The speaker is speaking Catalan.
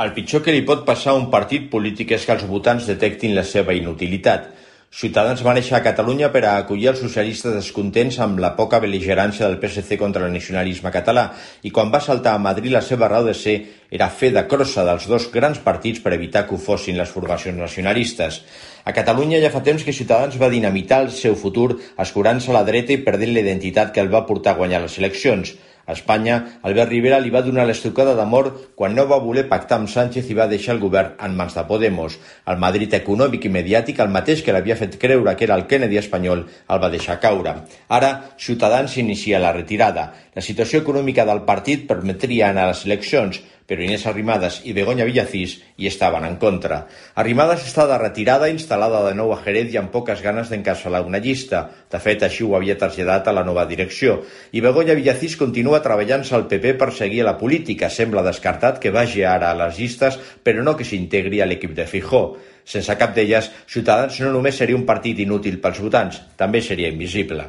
El pitjor que li pot passar a un partit polític és que els votants detectin la seva inutilitat. Ciutadans va néixer a Catalunya per a acollir els socialistes descontents amb la poca bel·ligerància del PSC contra el nacionalisme català i quan va saltar a Madrid la seva raó de ser era fer de crossa dels dos grans partits per evitar que ho fossin les formacions nacionalistes. A Catalunya ja fa temps que Ciutadans va dinamitar el seu futur escurant-se a la dreta i perdent la identitat que el va portar a guanyar les eleccions. A Espanya, Albert Rivera li va donar l'estocada d'amor quan no va voler pactar amb Sánchez i va deixar el govern en mans de Podemos. El Madrid econòmic i mediàtic, el mateix que l'havia fet creure que era el Kennedy espanyol, el va deixar caure. Ara, Ciutadans inicia la retirada. La situació econòmica del partit permetria anar a les eleccions, però Inés Arrimadas i Begoña Villacís hi estaven en contra. Arrimadas està de retirada, instal·lada de nou a Jerez i amb poques ganes d'encapçalar una llista. De fet, així ho havia traslladat a la nova direcció. I Begoña Villacís continua treballant-se al PP per seguir a la política. Sembla descartat que vagi ara a les llistes, però no que s'integri a l'equip de Feijóo. Sense cap d'elles, Ciutadans no només seria un partit inútil pels votants, també seria invisible.